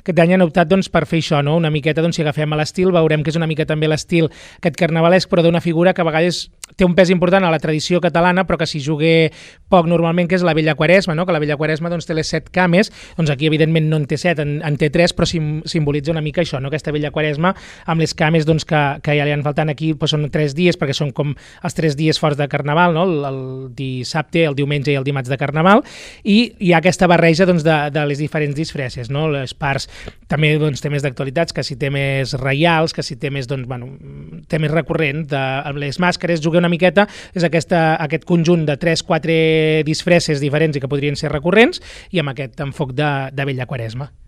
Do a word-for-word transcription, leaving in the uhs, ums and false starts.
Aquest any han optat doncs, per fer això, no? Una miqueta, doncs, si agafem a l'estil, veurem que és una mica també l'estil aquest carnavalesc, però d'una figura que a vegades té un pes important a la tradició catalana, però que s'hi jugué poc normalment, que és la Vella Quaresma, no? Que la Vella Quaresma doncs, té les set cames, doncs aquí evidentment no en té set, en, en té tres, però sim, simbolitza una mica això, no? Aquesta Vella Quaresma amb les cames doncs, que, que ja li han faltant aquí, doncs, són tres dies, perquè són com els tres dies forts de Carnaval, no? el, el dissabte, el diumenge i el dimarts de Carnaval, i hi ha aquesta barreja doncs, de, de les diferents disfresses, no? Les parts també doncs, temes d'actualitats, que si temes reials, que si temes, doncs, bueno, temes recurrents, de, amb les màscares, jugué una miqueta, és aquesta, aquest conjunt de tres quatre disfresses diferents i que podrien ser recurrents, i amb aquest enfoc de, de Vella Quaresma.